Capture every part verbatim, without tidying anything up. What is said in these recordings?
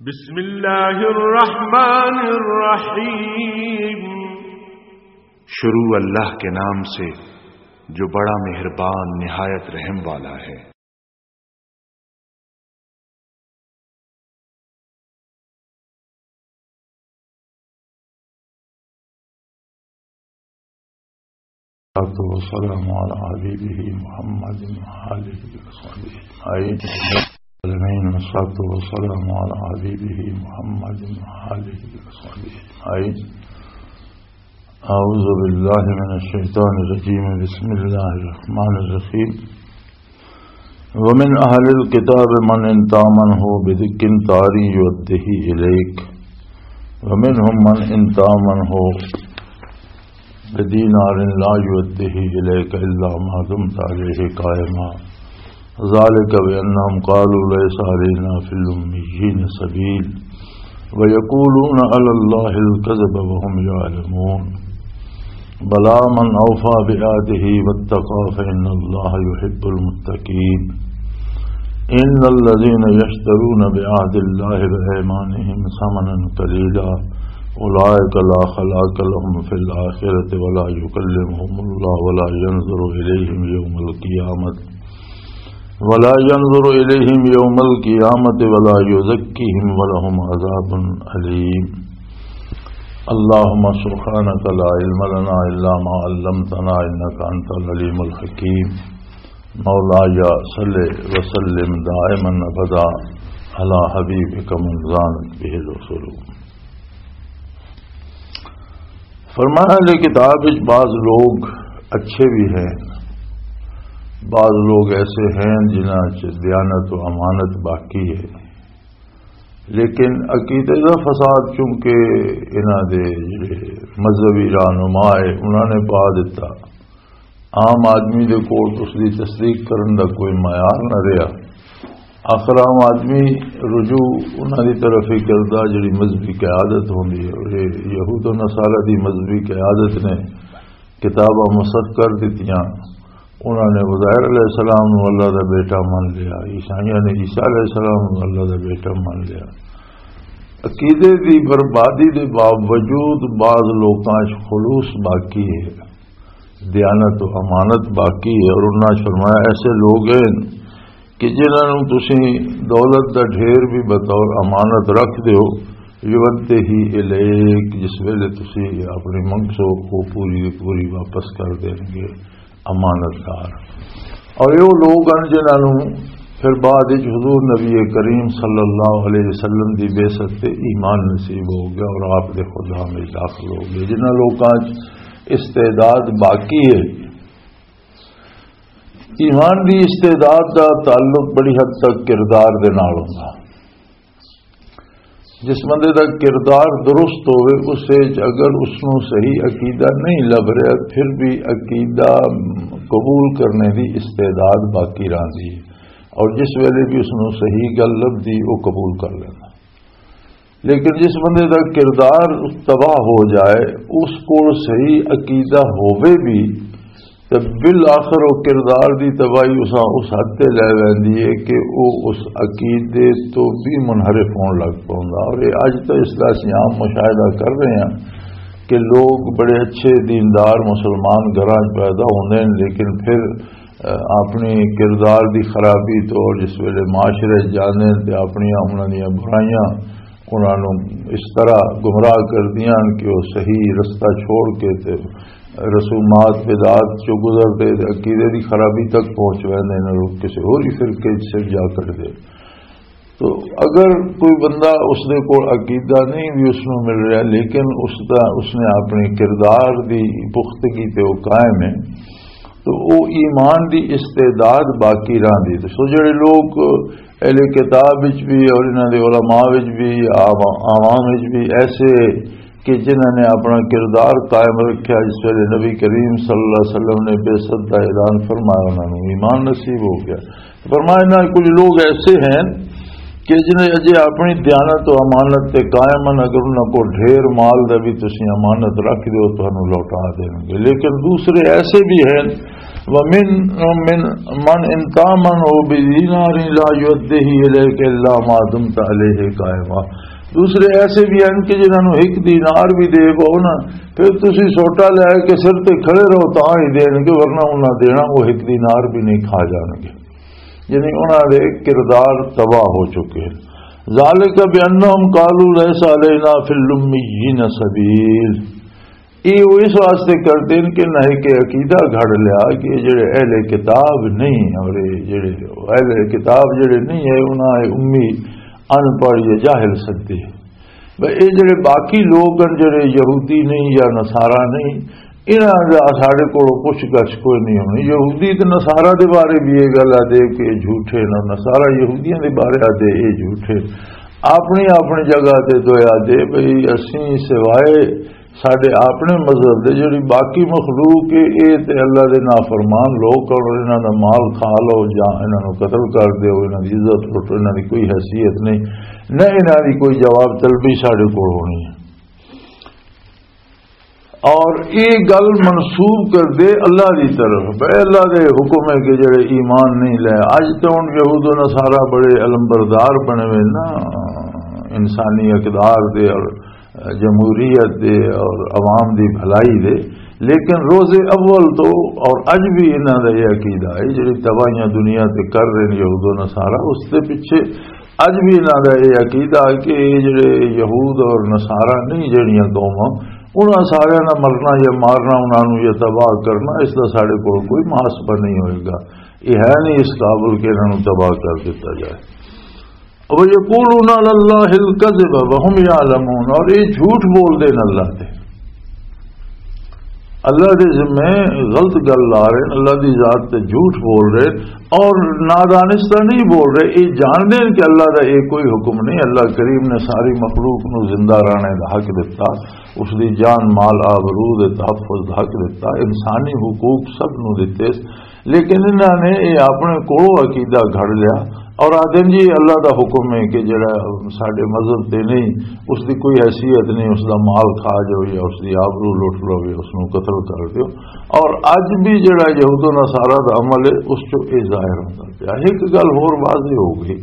بسم اللہ الرحمن الرحیم۔ شروع اللہ کے نام سے جو بڑا مہربان نہایت رحم والا ہے۔ والصلاة والسلام على حبيبه محمد وآله وصحبه أجمعين. والصلاة والسلام على حبيبه محمد وآله وصحبه أجمعين. أعوذ بالله من الشيطان الرجيم. بسم الله الرحمن الرحيم. ومن أهل الكتاب من إن تأمنه بدقيقار يؤده إليك ومنهم من إن تأمنه بدينار لا يؤده إليك إلا ما دمت عليه قائما ذلك بأنهم قالوا ليس علينا في الأميين سبيل ويقولون على الله الكذب وهم يعلمون. بلى من أوفى بعهده واتقى فإن الله يحب المتقين. إن الذين يشترون بعهد الله وأيمانهم ثمنا قليلا أولئك لا خلاق لهم في الآخرة ولا يكلمهم الله ولا ينظر إليهم يوم القيامة ولا ينظر إليهم يوم القيامة ولا يزكيهم ولهم عذاب أليم. اللهم سبحانك لا علم لنا إلا ما علمتنا إنك أنت العليم الحكيم. مولاي صل وسلم دائما أبدا على حبيبك من زانت به الوصول. فرمایا، اہل کتاب وچ بعض لوگ اچھے بھی ہیں، بعض لوگ ایسے ہیں جنہاں چ دیانت و امانت باقی ہے، لیکن عقیدے دا فساد چونکہ انہاں دے جڑے مذہبی رہنما ہے انہاں نے پا دتا، عام آدمی دے کول اس دی تصدیق کرن دا کوئی معیار نہ رہیا۔ آخر عام آدمی رجوع انہاں دی طرف ہی کردا جڑی مذہبی قیادت ہوندی ہے، اور یہ یہود و نصارہ دی مذہبی قیادت نے کتاباں مسخ کر دتیاں۔ انہاں نے عزیر علیہ السلام نو اللہ دا بیٹا من لیا، عیسائیاں نے عیسیٰ علیہ السلام نو اللہ دا بیٹا من لیا۔ عقیدے دی بربادی دے باوجود بعض لوکاں 'چ خلوص باقی ہے، دیانت و امانت باقی ہے، اور انہاں 'چ فرمایا ایسے لوگ ہیں کہ جنہاں نوں تسی دولت دا ڈھیر بھی بطور امانت رکھ دیو، یودہ ہی الیک، جس ویلے تسی اپنی منگسو، وہ پوری دی پوری واپس کر دین گے، امانت دار۔ اور یہ لوگ ہیں جنہاں نوں پھر بعد وچ حضور نبی کریم صلی اللہ علیہ وسلم دی بعثت تے ایمان نصیب ہو گیا اور آپ دے خدام وچ داخل ہو گئے۔ جنہاں لوکاں 'چ استعداد باقی ہے، ایمان دی استعداد دا تعلق بڑی حد تک کردار دے نال ہوندا۔ جس بندے دا کردار درست ہوئے، اس وچ اگر اس نوں صحیح عقیدہ نہیں لب رہا، پھر بھی عقیدہ قبول کرنے دی استعداد باقی رہندی ہے، اور جس ویلے بھی اس نوں صحیح گل لبدی، وہ قبول کر لینا۔ لیکن جس بندے دا کردار تباہ ہو جائے، اس کول صحیح عقیدہ ہووے بھی، تے بالآخر وہ کردار دی تباہی اساں اس حد تے لے ویندی ہے کہ وہ اس عقیدے تو بھی منحرف ہون لگ پوندا۔ اور یہ اج تو اس دا اسیں عام مشاہدہ کر رہے ہیں کہ لوگ بڑے اچھے دیندار مسلمان گھراں 'چ پیدا ہوندے ہیں، لیکن پھر، اہ، اپنی کردار دی خرابی تو اور جس ویلے معاشرے 'چ جاندے ہیں تے اپنیاں انہاں دیاں برائیاں انہاں نوں اس طرح گمراہ کر دیاں کہ وہ صحیح رستہ چھوڑ کے تے رسومات بدعات چوں گزر دے تے عقیدے دی خرابی تک پہنچ ویندے نے، لوگ کسی ہور ہی فرقے 'چ سر جا کٹ دے۔ تو اگر کوئی بندہ اس دے کول عقیدہ نہیں بھی اس نوں مل رہا، لیکن اس دا، اس نے اپنے کردار دی پختگی تے وہ قائم ہے، تو او ایمان دی استعداد باقی رہندی۔ تو سو جڑے لوگ اہل کتاب وچ بھی اور انہاں دے علماء وچ بھی، عوا-، عوام وچ بھی ایسے کہ جنہاں نے اپنا کردار قائم رکھیا، جس ویلے نبی کریم صلی اللہ علیہ وسلم نے بعثت دا اعلان فرمایا، انہاں نوں ایمان نصیب ہو گیا۔ فرمایا، انہاں کچھ لوگ ایسے ہیں کہ جنہیں اجے اپنی دیانت و امانت تے قائم ہیں، اگر انہاں کو ڈھیر مال دا بھی تسی امانت رکھ دیو، تانوں لوٹا دیں گے۔ لیکن دوسرے ایسے بھی ہیں ومن من من ان تامن او بدینار لا یؤدیہ الیک الا ما دمت علیہ قائما۔ دوسرے ایسے بھی ہیں کہ جنہاں نوں ایک دینار بھی دے پاؤ نا، پھر تسی سوٹا لے کے سر تے کھڑے رہو تاں ہی دین گے، ورنہ انہاں دینا وہ ایک دینار بھی نہیں کھا جان گے۔ یعنی انہاں دے کردار تباہ ہو چکے ہیں۔ ذالک بانہم قالوا لیس علینا فی الامیین سبیل۔ یہ وہ اس واسطے کرتے ہیں کہ نہ کہ عقیدہ گھڑ لیا کہ یہ جڑے اہل کتاب نہیں، اور یہ جڑے اہل کتاب جڑے نہیں ہے، انہاں اے امی، ان پڑھ یا جاہل سدے۔ بھئی، یہ جڑے باقی لوگ ہیں، جڑے یہودی نہیں یا نصارا نہیں، انہاں دا ساڈے کول پوچھ گچھ کوئی نہیں ہونی۔ یہودی تے نصارا دے بارے بھی یہ گل آ دے کہ یہ جھوٹے نے، نصارا یہودیاں دے بارے آ دے یہ جھوٹے۔ اپنی اپنی جگہ تے دویا دے بھئی، اسی سوائے ساڈے اپنے مذہب دے جڑی باقی مخلوق ہے، اے تے اللہ دے نافرمان لوگ، اور انہاں دا مال کھا لو یا انہاں نوں قتل کر دیو، انہاں دی عزت لٹو، انہاں دی کوئی حیثیت نہیں، نہ انہاں دی کوئی جواب طلبی ساڈے کول ہونی ہے۔ اور یہ گل منسوب کر دے اللہ دی طرف، اے اللہ دے حکم ہے کہ جڑے ایمان نہیں لے۔ اج تے ہن یہود و نصارہ بڑے علمبردار بنے ہوئے نا، انسانی اقدار دے اور جمہوریت دے اور عوام دی بھلائی دے، لیکن روز اول تو اور اج بھی انہاں دا یہ عقیدہ ہے، جڑی تباہیاں دنیا تے کر رہے نے یہود و نصارہ، اس دے پیچھے اج بھی انہاں دا یہ عقیدہ ہے کہ یہ جڑے یہود اور نصارہ نہیں، جڑیاں قوماں، انہاں ساریاں دا مرنا یا مارنا، انہاں نوں یا تباہ کرنا، اس دا ساڈے کول کوئی محاسبہ نہیں ہوئے گا۔ یہ ہے نہیں اس قابل کہ انہاں نوں تباہ کر دتا جائے۔ وَيَقُولُونَ عَلَى اللَّهِ الْكَذِبَ وَهُمْ يَعْلَمُونَ، اور یہ جھوٹ بول دے اللہ تے، اللہ دے ذمے غلط گل لا رہے ہیں، اللہ دی ذات تے جھوٹ بول رہے ہیں، اور نادانستہ نہیں بول رہے۔ یہ جان دے کہ اللہ دا یہ کوئی حکم نہیں، اللہ کریم نے ساری مخلوق نو زندہ رہنے دا حق دتا، اس دی جان، مال، آبرو دے تحفظ دا حق دتا، انسانی حقوق سب نو دتے، لیکن انہاں نے یہ اپنے کولوں عقیدہ گھڑ لیا اور آدھے جی اللہ دا حکم ہے کہ جڑا ساڈے مذہب تے نہیں، اس دی کوئی حیثیت نہیں، اس دا مال کھا جاؤ یا اس دی آبرو لٹ لو یا اس نوں قتل کر دیو۔ اور اج بھی جڑا یہود و نصارہ دا عمل ہے، اس چوں یہ ظاہر ہوندا پیا۔ ایک گل ہور واضح ہو گئی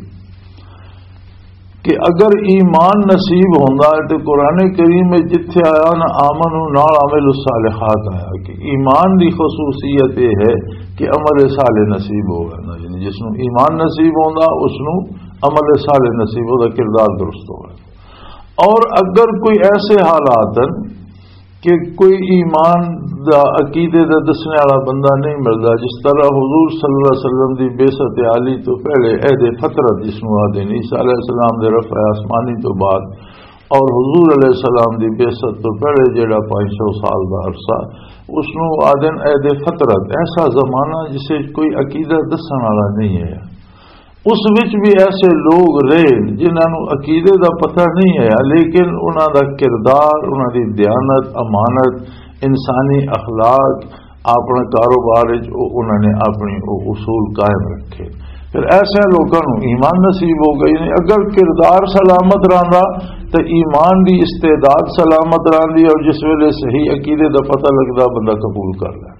کہ اگر ایمان نصیب ہوندا ہے تے قرآن کریم وچ جتھے آیا نا آمنو نال عامل الصالحات آیا، کہ ایمان دی خصوصیت یہ ہے کہ عمل صالح نصیب ہو گیا نا، یعنی جس نوں ایمان نصیب ہوندا اس نوں عمل صالح نصیب ہوندا، کردار درست ہو گیا۔ اور اگر کوئی ایسے حالات ہیں کہ کوئی ایمان دا، عقیدے دا دسنے والا بندہ نہیں ملدا، جس طرح حضور صلی اللہ علیہ وسلم دی بعثت عالی تو پہلے عہد فطرت جس نوں آدھے نے، عیسیٰ علیہ السلام دے رفع آسمانی تو بعد اور حضور علیہ السلام دی بعثت تو پہلے جڑا پانچ سو سال دا عرصہ، اس نوں آدھے نے عہد فطرت، ایسا زمانہ جسے کوئی عقیدہ دسن والا نہیں ہے۔ اس وچ بھی ایسے لوگ رہے جنہاں نوں عقیدے دا پتہ نہیں ہے، لیکن انہاں دا کردار، انہاں دی دیانت، امانت، انسانی اخلاق، اپنے کاروبار وچ او، انہاں نے اپنی او اصول قائم رکھے۔ پھر ایسے لوکاں نوں ایمان نصیب ہو گئی نے۔ اگر کردار سلامت رہندا تے ایمان دی استعداد سلامت رہندی، اور جس ویلے صحیح عقیدے دا پتہ لگدا بندہ قبول کر لے۔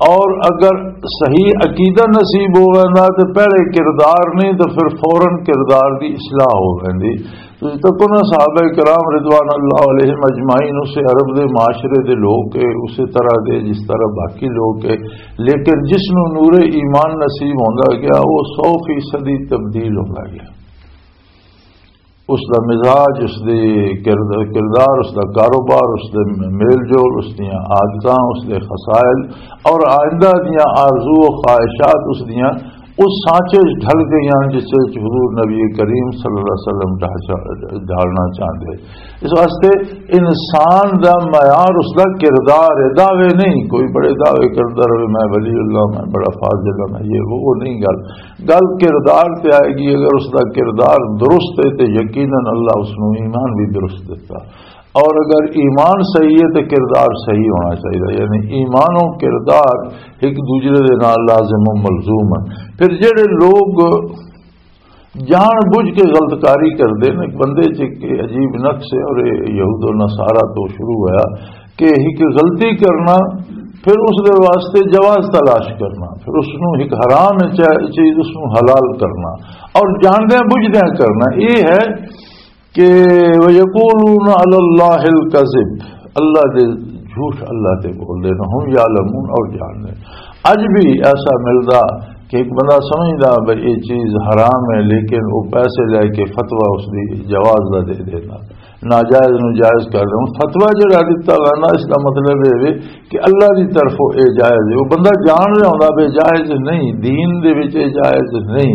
اور اگر صحیح عقیدہ نصیب ہو ویندا تے پہلے کردار نہیں تے پھر فوراً کردار دی اصلاح ہو ویندی۔ تسی تکو نا، صحابہ کرام رضوان اللہ علیہم اجمعین اسے عرب دے معاشرے دے لوگ کے، اسے طرح دے جس طرح باقی لوگ کے، لیکن جس نوں نور ایمان نصیب ہوندا گیا، وہ سو فیصدی تبدیل ہوندا گیا۔ اس دا مزاج، اس دی کرد-، کردار، اس دا کاروبار، اس دے میل جول، اس دیاں عادتاں، اس دے خصائل اور آئندہ دیاں آرزو و خواہشات اس دیاں اس سانچے وچ ڈھل گئیاں جس وچ حضور نبی کریم صلی اللہ علیہ وسلم ڈھا-، ڈھالنا چاہندے۔ اس واسطے انسان دا معیار اس دا کردار ہے، دعوے نہیں۔ کوئی بڑے دعوے کردا رہے، میں ولی اللہ، میں بڑا فاضل ہاں، میں یہ وہ، وہ نہیں گل۔ گل کردار تے آئے گی۔ اگر اس دا کردار درست ہے تے یقیناً اللہ اس نوں ایمان بھی درست دتا، اور اگر ایمان صحیح ہے تے کردار صحیح ہونا چاہیے۔ یعنی ایمان و کردار ایک دوسرے دے نال لازم و ملزوم ہے۔ پھر جڑے لوگ جان بوجھ کے غلط کاری کردے نے، بندے چ ایک عجیب نقص ہے، اور یہ یہود و نصارہ تو شروع ہویا کہ ایک غلطی کرنا پھر اس دے واسطے جواز تلاش کرنا، پھر اس نوں ایک حرام چ-، چیز اس نوں حلال کرنا، اور جاندیاں بجھدیاں کرنا، یہ ہے کہ وَيَقُولُونَ عَلَى اللَّهِ الْكَذِبَ، اللہ دے جھوٹ اللہ تے بول دے، وَهُمْ يَعْلَمُونَ، اور جان دے۔ اج بھی ایسا ملدا کہ ایک بندہ سمجھدا بھئی یہ چیز حرام ہے، لیکن وہ پیسے لے کے فتویٰ اس دی جواز دا دے دینا، ناجائز نو جائز کر دے۔ ہن فتویٰ جڑا دتا گیا نا، اس دا مطلب یہ وے کہ اللہ دی طرفوں یہ جائز ہے۔ وہ بندہ جان رہا ہوندا بھئی جائز نہیں، دین دے وچ یہ جائز نہیں،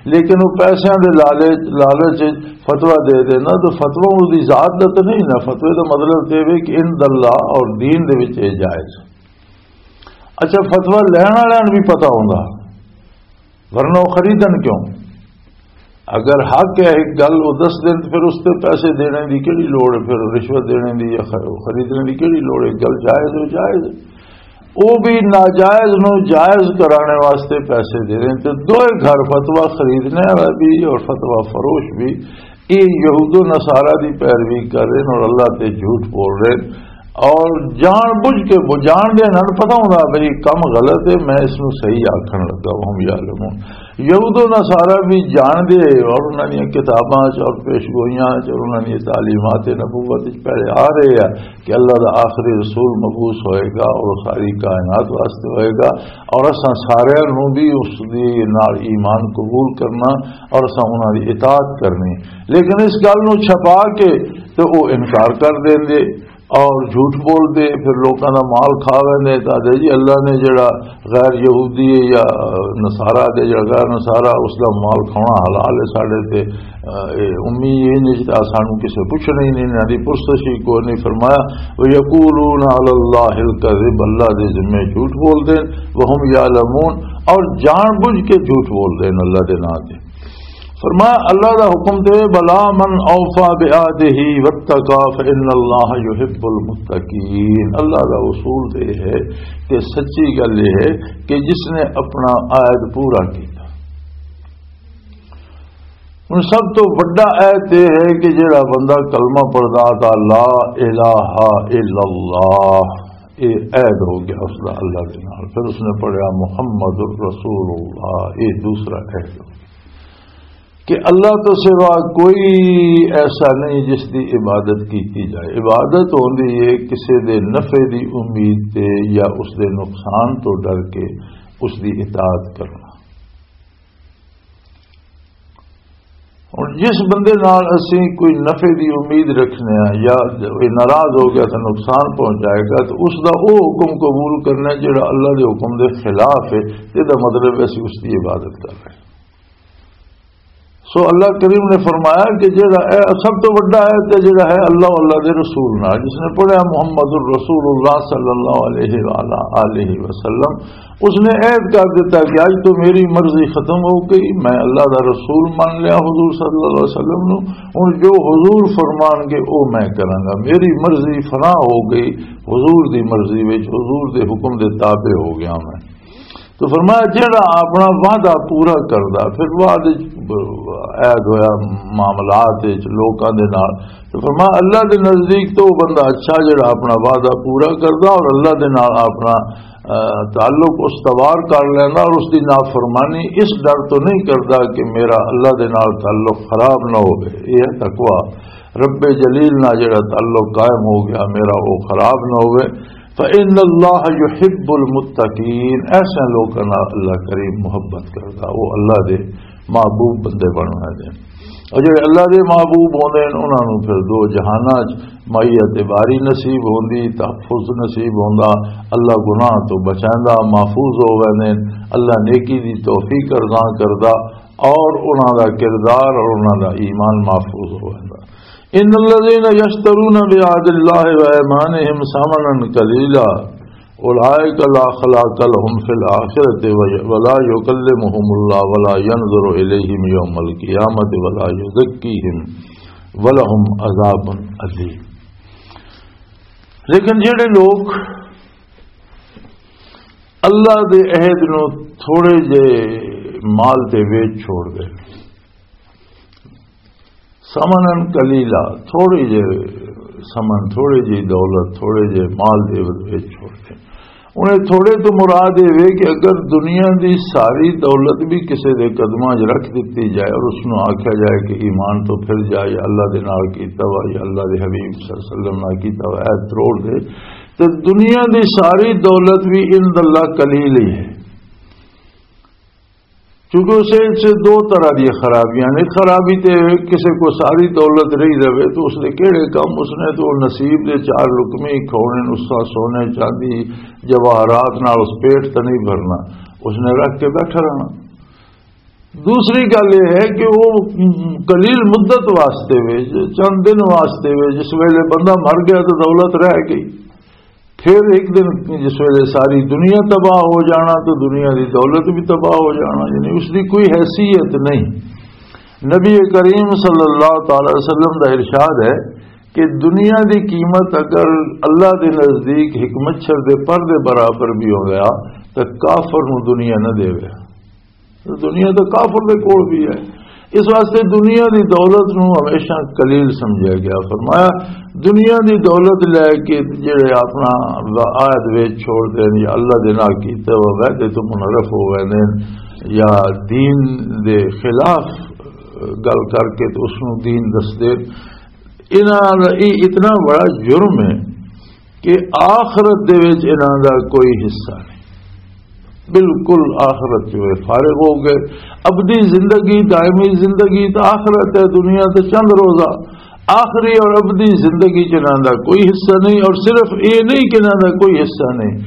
لیکن وہ پیسیاں دے لالچ، لالچ وچ فتویٰ دے دینا، تو فتویٰ اس دی ذات دا تو نہیں نا۔ فتوے دا مطلب تے وے کہ عند اللہ اور دین دے وچ یہ جائز۔ اچھا، فتویٰ لین والے نوں بھی پتہ ہوندا، ورنہ وہ خریدن کیوں؟ اگر حق ہے ایک گل وہ دس دن، پھر اس تے پیسے دینے دی کیڑی لوڑ ہے؟ پھر رشوت دینے دی یا خ-، خریدنے دی کیڑی لوڑ ہے؟ گل جائز ہو، جائز ہے۔ وہ بھی ناجائز نو جائز کرانے واسطے پیسے دے رہے ہیں۔ تو دوئے گھر، فتویٰ خریدنے والا بھی اور فتویٰ فروش بھی، یہ یہود و نصارہ دی پیروی کر رہے ہیں اور اللہ تے جھوٹ بول رہے ہیں، اور جان بوجھ کے وہ جان دے نال پتہ ہوندا بھئی کم غلط ہے، میں اس نو صحیح آکھن لگا، وَهُمْ يَعْلَمُونَ۔ یہود و نصارہ بھی جان دے، اور انہاں دی کتاباں چ اور پیش گوئیاں چ اور انہاں دی تعلیمات نبوت چ پہلے آ رہے ہیں کہ اللہ دا آخری رسول مبعوث ہوئے گا اور ساری کائنات واسطے ہوئے گا، اور اساں سارے نوں بھی اس دی نال ایمان قبول کرنا اور اساں انہاں دی اطاعت کرنی۔ لیکن اس گل نوں چھپا کے تے او انکار کر دیندے اور جھوٹ بول دے، پھر لوکاں دا مال کھا ویندے۔ تے آدھے جی اللہ نے جڑا غیر یہودی ہے یا نصارہ دے، جڑا غیر نصارہ، اس دا مال کھانا حلال ہے ساڈے تے، اے امی یہ نہیں تے سانو کسے پوچھنا ہی نہیں، انہاں دی پرسش ہی کوئی نہیں۔ فرمایا، وَيَقُولُونَ عَلَى اللَّهِ الْكَذِبَ، اللہ دے ذمے جھوٹ بول دے، وَهُمْ يَعْلَمُونَ، اور جان بوجھ کے جھوٹ بول دے اللہ دے نام تے۔ فرمایا اللہ دا حکم تے، بلا من اوفا بعہدہ واتقا فان اللہ یحب المتقین۔ اللہ دا اصول تے ہے کہ سچی گل یہ ہے کہ جس نے اپنا عہد پورا کیتا۔ ہن سب تو وڈا عہد یہ ہے کہ جڑا بندہ کلمہ پڑھدا تا لا الہ الا اللہ، یہ عہد ہو گیا اس دا اللہ دے نال۔ پھر اس نے پڑھیا محمد رسول اللہ، یہ دوسرا عہد ہو گیا۔ کہ اللہ تو سوا کوئی ایسا نہیں جس دی عبادت کیتی جائے۔ عبادت ہوندی ہے کسے دے نفع دی امید تے یا اس دے نقصان تو ڈر کے اس دی اطاعت کرنا۔ ہن جس بندے نال اسی کوئی نفع دی امید رکھنے ہاں یا کوئی ناراض ہو گیا تو نقصان پہنچائے گا، تو اس دا او حکم قبول کرنا ہے جڑا اللہ دے حکم دے خلاف ہے، تے دا مطلب ہے اسی اس دی عبادت کر رہے ہیں۔ سو اللہ کریم نے فرمایا کہ جڑا اے سب تو وڈا ہے تے جڑا ہے اللہ، اللہ دے رسول نال، جس نے پڑھا محمد الرسول اللہ صلی اللہ علیہ وآلہ آلہ وسلم، اس نے عہد کر دیتا کہ آج تو میری مرضی ختم ہو گئی، میں اللہ دا رسول مان لیا حضور صلی اللہ علیہ وسلم نو۔ ہن جو حضور فرمان گے او میں کراں گا، میری مرضی فنا ہو گئی، حضور دی مرضی وچ، حضور دے حکم دے تابع ہو گیا میں۔ تو فرمایا جڑا اپنا وعدہ پورا کردا، پھر بعد وچ عہد ہویا معاملات وچ لوکاں دے نال، تو فرمایا اللہ دے نزدیک تو وہ بندہ اچھا جڑا اپنا وعدہ پورا کردا اور اللہ دے نال اپنا، آ، تعلق استوار کر لیندا اور اس دی نافرمانی اس ڈر تو نہیں کردا کہ میرا اللہ دے نال تعلق خراب نہ ہوے۔ یہ ہے تقوی۔ رب جلیل نال جڑا تعلق قائم ہو گیا میرا، وہ خراب نہ ہوے۔ فإن اللہ یحب المتقین، ایسے لوکاں نال اللہ کریم محبت کردا، وہ اللہ دے محبوب بندے بننا دے۔ اور جڑے اللہ دے محبوب ہوندے ہیں، انہاں نوں پھر دو جہاناں چ معیت باری نصیب ہوندی، تحفظ نصیب ہوندا، اللہ گناہ تو بچائندا، محفوظ ہو ویندے ہیں، اللہ نیکی دی توفیق ارزاں کردا اور انہاں دا کردار اور انہاں دا ایمان محفوظ ہو ویندا۔ ان الذين يشترون بعهد الله وايمانهم ثمنا قليلا اولئك لا خلاق لهم في الاخره ولا يكلمهم الله ولا ينظر اليهم يوم القيامه ولا يزكيهم ولهم عذاب اليم۔ لیکن جڑے لوگ اللہ دے عہد نو تھوڑے جے مال تے ویچ چھوڑ دے، ثمناً قلیلا، تھوڑے جے ثمن، تھوڑے جے دولت، تھوڑے جے مال دے ویچ چھوڑ دے، ہن اے تھوڑے تو مراد اے وے کہ اگر دنیا دی ساری دولت بھی کسے دے قدماں 'چ رکھ دتی جائے اور اس نوں آکھیا جائے کہ ایمان تو پھر جا، یا اللہ دے نال کیتا وا، یا اللہ دے حبیب صلی اللہ علیہ وسلم نال کیتا وا، اے تروڑ دے، تے دنیا دی ساری دولت بھی عند اللہ قلیل ہی ہے۔ کیونکہ اس وچ دو طرح دی خرابیاں نے۔ خرابی تے کسے کو ساری دولت رہی رہے تو اس دے کہڑے کم؟ اس نے تو نصیب دے چار لقمے ہی کھونے، اس طرح سونے، چاندی، جواہرات نال اس پیٹ تے نہیں بھرنا، اس نے رکھ کے بیٹھا رہنا۔ دوسری گل یہ ہے کہ وہ قلیل مدت واسطے وے، چند دن واسطے وے، جس ویلے بندہ مر گیا تو دولت رہ گئی۔ پھر ایک دن جس ویلے ساری دنیا تباہ ہو جانا تو دنیا دی دولت بھی تباہ ہو جانا، یعنی اس دی کوئی حیثیت نہیں۔ نبی کریم صلی اللہ تعالی وسلم دا ارشاد ہے کہ دنیا دی قیمت اگر اللہ دے نزدیک ایک مچھر دے پر دے برابر بھی ہو گیا تو کافر نو دنیا نہ دے۔ دنیا تو کافر دے کول بھی ہے۔ اس واسطے دنیا دی دولت نو ہمیشہ قلیل سمجھا گیا۔ فرمایا، دنیا دی دولت لے کے جڑے اپنا عہد وچ چھوڑ دین یا اللہ دے نال کیتے ہوئے وعدے تو منحرف ہو گئے نے، یا دین دے خلاف گل کر کے تو اس نو دین دس دے، انہاں دا یہ اتنا بڑا جرم ہے کہ آخرت دے وچ انہاں دا کوئی حصہ نہیں۔ بالکل آخرت جو ہے فارغ ہو گئے۔ ابدی زندگی، دائمی زندگی تو آخرت ہے، دنیا تو چند روزہ۔ آخری اور ابدی زندگی چ انہاں دا کوئی حصہ نہیں، اور صرف یہ نہیں کہ انہاں دا کوئی حصہ نہیں،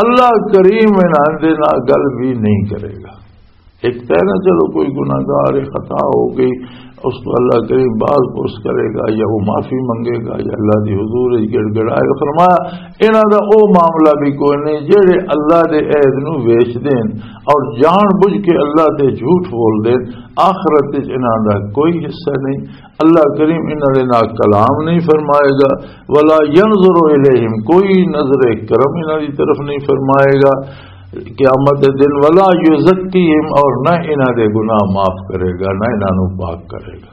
اللہ کریم انہاں دے نال گل بھی نہیں کرے گا۔ ایک تو ہے نا، چلو کوئی گناہگار ہے، خطا ہو گئی، اس کو اللہ کریم باز پرس کرے گا، یا وہ معافی منگے گا، یا اللہ دی حضور وچ گڑ گڑائے گا۔ فرمایا، انہاں دا او معاملہ بھی کوئی نہیں جڑے اللہ دے عہد نو ویچ دین اور جان بوجھ کے اللہ تے جھوٹ بول دین۔ آخرت وچ انہاں دا کوئی حصہ نہیں۔ اللہ کریم انہاں دے نال کلام نہیں فرمائے گا، ولا ينظر الیہم، کوئی نظر کرم انہاں دی طرف نہیں فرمائے گا قیامت دے دن، ولا یزکیہم، اور نہ انہاں دے گناہ معاف کرے گا، نہ انہاں نوں پاک کرے گا۔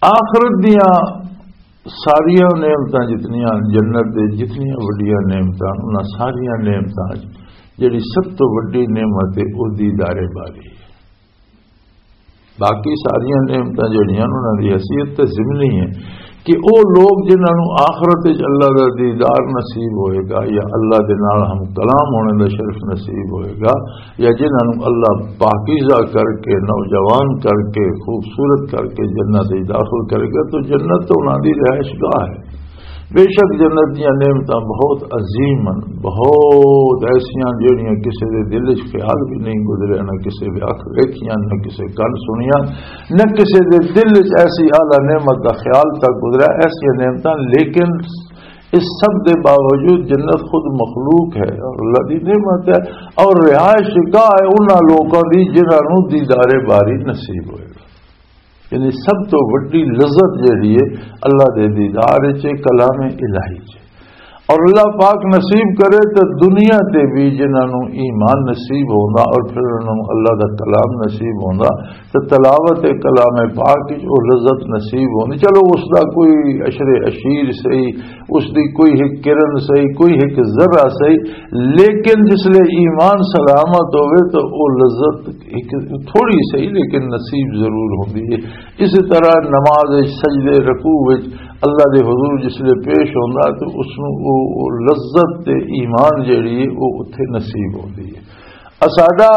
آخرت دیاں ساریاں نعمتاں جتنیاں، جنت دے جتنیاں وڈیاں نعمتاں، انہاں ساریاں نعمتاں وچ جڑی سب تو وڈی نعمت ہے، او دیدار باری ہے۔ باقی ساریاں نعمتاں جڑیاں، انہاں دی حیثیت تے ضمنی ہے کہ او لوگ جنہاں نوں آخرت وچ اللہ دا دیدار نصیب ہوئے گا یا اللہ دے نال ہم کلام ہونے دا شرف نصیب ہوئے گا، یا جنہاں نوں اللہ پاکیزہ کر کے، نوجوان کر کے، خوبصورت کر کے جنت وچ داخل کرے گا، تو جنت تو انہاں دی رہائش گاہ ہے۔ بے شک جنت دیاں نعمتاں بہت عظیم ہن، بہت ایسیاں جہڑیاں کسے دے دل وچ خیال بھی نہیں گزریا، نہ کسے دے اکھ ویکھیاں، نہ کسے کن سنیاں، نہ کسے دے دل وچ ایسی اعلیٰ نعمت دا خیال تک گزریا، ایسیاں نعمتاں۔ لیکن اس سب دے باوجود جنت خود مخلوق ہے اور اللہ دی نعمت ہے، اور رہائش گاہ ہے انہاں لوکاں دی جنہاں نوں دیدار باری نصیب ہوئے گا۔ یعنی سب تو وڈی لذت جہڑی ہے اللہ دے دیدار وچ، کلام الہی وچ۔ اور اللہ پاک نصیب کرے تو دنیا تے بھی جنہاں نوں ایمان نصیب ہوندا اور پھر انہاں نوں اللہ دا کلام نصیب ہوندا، تو تلاوت کلام پاک وچ او لذت نصیب ہوندی۔ چلو، اس دا کوئی عشر عشیر صحیح، اس دی کوئی ایک کرن صحیح، کوئی ایک ذرہ صحیح، لیکن جس لے ایمان سلامت ہوئے تو او لذت ایک تھوڑی صحیح لیکن نصیب ضرور ہوندی ہے۔ اسی طرح نماز وچ، سجدے، رکوع وچ اللہ دے حضور جس لے پیش ہوندا تو اس نوں او، او لذت تے ایمان جیڑی ہے، او اتھے نصیب ہوندی ہے۔ اساڈا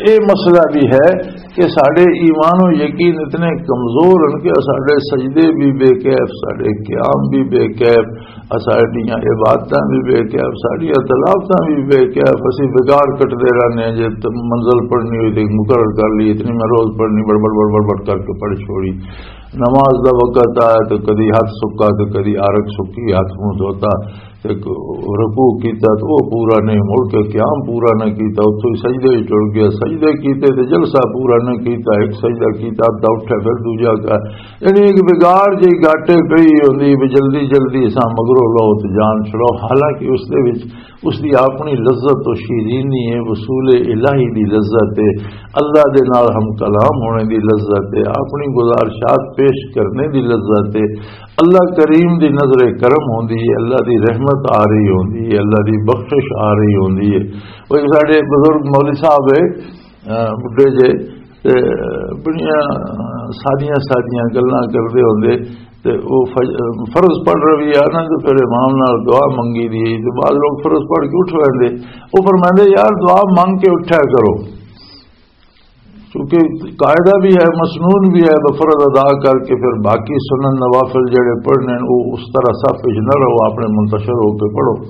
اے مسئلہ بھی ہے کہ ساڈے ایمان و یقین اتنے کمزور ہیں کہ ساڈے سجدے بھی بے کیف، ساڈے قیام بھی بے کیف، ساڈیاں عبادتاں بھی بے کیف، ساڈیاں تلاوتاں بھی بے کیف۔ اسی بگاڑ کٹدے رہنے ہیں، جے ت-، منزل پڑھنی ہوئی تے مقرر کر لی، اتنی میں روز پڑھنی، بڑبڑ بڑبڑ بڑ کر کے پڑھ چھوڑی۔ نماز دا وقت آیا تو کدی ہاتھ سکا تو کدی عرق سکی، ہاتھ منہ دھوتا۔ تے رکوع کیتا تے او پورا نہیں، مڑ کے قیام پورا نہ کیتا، اتھوں ہی سجدے وچ ٹر گیا، سجدے کیتے تے جلسہ پورا نہ کیتا، ایک سجدہ کیتا، ادھا اٹھا، پھر دوجا کر، یعنی ایک بگاڑ جی گاٹے پئی ہوندی بھی جلدی جلدی اساں مگروں لو تے جان چھڑاؤ، حالانکہ اس دے وچ اس دی اپنی لذت و شیرینی ہے، وصول الہی دی لذت ہے، اللہ دے نال ہم کلام ہونے دی لذت ہے، اپنی گزارشات پیش کرنے دی لذت ہے۔ اللہ کریم دی نظر کرم ہوندی ہے، اللہ دی رحمت آ رہی ہوندی ہے، اللہ دی بخشش آ رہی ہوندی ہے۔ وہ ایک ساڈے بزرگ مولوی صاحب ہے، اہ، بڈھے جے، تے بڑیاں سادیاں سادیاں گلاں کردے ہوندے، تے وہ فج-، فرض پڑھ رہی ہے نا، تے پھر امام نال دعا منگی دی، تے بعض لوگ فرض پڑھ کے اٹھ ویندے۔ وہ فرماندے، "یار، دعا منگ کے اٹھیا کرو۔" کیونکہ قاعدہ بھی ہے، مسنون بھی ہے، تو فرض ادا کر کے پھر باقی سنن نوافل جڑے پڑھنے ہیں، وہ اس طرح صف وچ نہ رہو، اپنے منتشر ہو کے پڑھو۔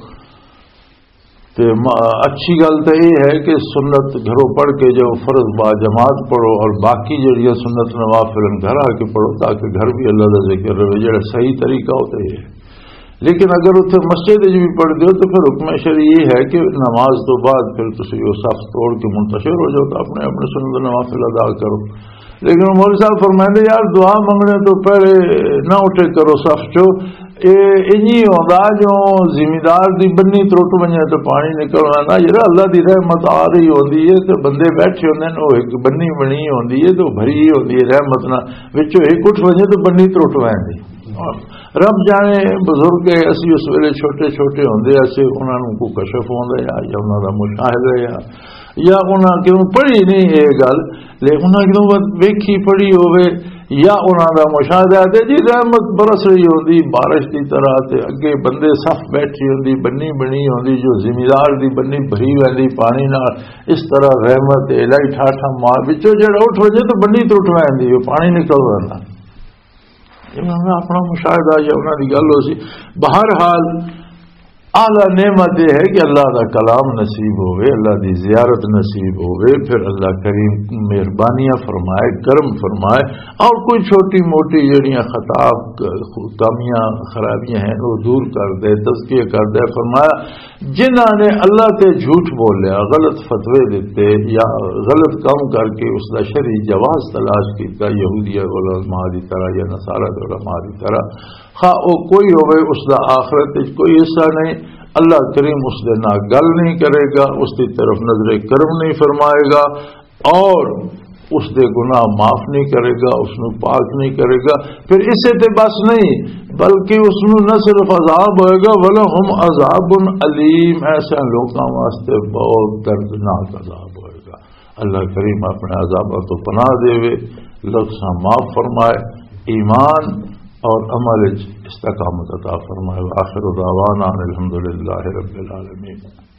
تے ما-، اچھی گل تے یہ ہے کہ سنت گھروں پڑھ کے جو فرض با جماعت پڑھو اور باقی جڑیاں سنت نوافل ہیں گھر آ کے پڑھو، تاکہ گھر بھی اللہ کا ذکر رہے، جڑا صحیح طریقہ ہوتا ہے۔ لیکن اگر اتھے مسجد وچ بھی پڑھ دیو تو پھر حکم شرعی یہ ہے کہ نماز تو بعد پھر تسی وہ صف توڑ کے منتشر ہو جاؤ، تو اپنے اپنے سنت نوافل ادا کرو۔ لیکن مولوی صاحب فرمائندے، "یار، دعا منگنے تو پہلے نہ اٹھے کرو صف چو۔" اے انجی ہوندا جو زمیندار دی بنی ترٹ ونجے تو پانی نکل آندا۔ یار، اللہ دی رحمت آ رہی ہوندی ہے تے بندے بیٹھے ہوندے نے، او ایک بنی بنی ہوندی ہے تے او بھری ہوندی ہے رحمت نال، وچوں ایک اٹھ ونجے تو بنی ترٹ ویندی۔ رب جانے، بزرگ ہے، اسی اس ویلے چھوٹے چھوٹے ہوندے، اسے انہاں نوں کوئی کشف ہوندا یا، یا انہاں دا مشاہدہ یا، یا انہاں کیوں پڑھی نہیں یہ گل، لیکن انہاں کیوں ویکھی پڑھی ہوے یا انہاں دا مشاہدہ ہے، تے جی رحمت برس رہی ہوندی بارش دی طرح، تے اگے بندے صف بیٹھی ہوندی، بنی بنی ہوندی، جو زمیندار دی بنی بھری ویندی پانی نال، اس طرح رحمت الہی ٹھاٹھا مار وچوں جڑا اٹھ وجے تو بنی ترٹ ویندی، وہ پانی نکل ویندا۔ انہاں دا اپنا مشاہدہ یا انہاں دی گل ہو سی۔ بہرحال، اعلیٰ نعمت یہ ہے کہ اللہ دا کلام نصیب ہوئے، اللہ دی زیارت نصیب ہوئے، پھر اللہ کریم مہربانیاں فرمائے، کرم فرمائے، اور کوئی چھوٹی موٹی جڑیاں خطا، کمیاں، خرابیاں ہیں، وہ دور کر دے، تزکیہ کر دے۔ فرمایا، جنہاں نے اللہ تے جھوٹ بولیا، غلط فتوے دیتے یا غلط کام کر کے اس دا شرعی جواز تلاش کیتا، یہودی علماء دی طرح یا نصارہ دے علماء دی طرح، خواہ او کوئی ہوئے، اس دا آخرت وچ کوئی حصہ نہیں۔ اللہ کریم اس دے نال گل نہیں کرے گا، اس دی طرف نظر کرم نہیں فرمائے گا، اور اس دے گناہ معاف نہیں کرے گا، اس نو پاک نہیں کرے گا۔ پھر اسے تے بس نہیں، بلکہ اس نو نہ صرف عذاب ہوئے گا، وَلَهُمْ عَذَابٌ أَلِيمٌ، ایسے لوکاں واسطے بہت دردناک عذاب ہوئے گا۔ اللہ کریم اپنے عذاباں تو پناہ دے، لفظاں معاف فرمائے، ایمان اور عمل وچ استقامت عطا فرمائے۔ وآخر دعوانا ان الحمد للہ رب العالمین۔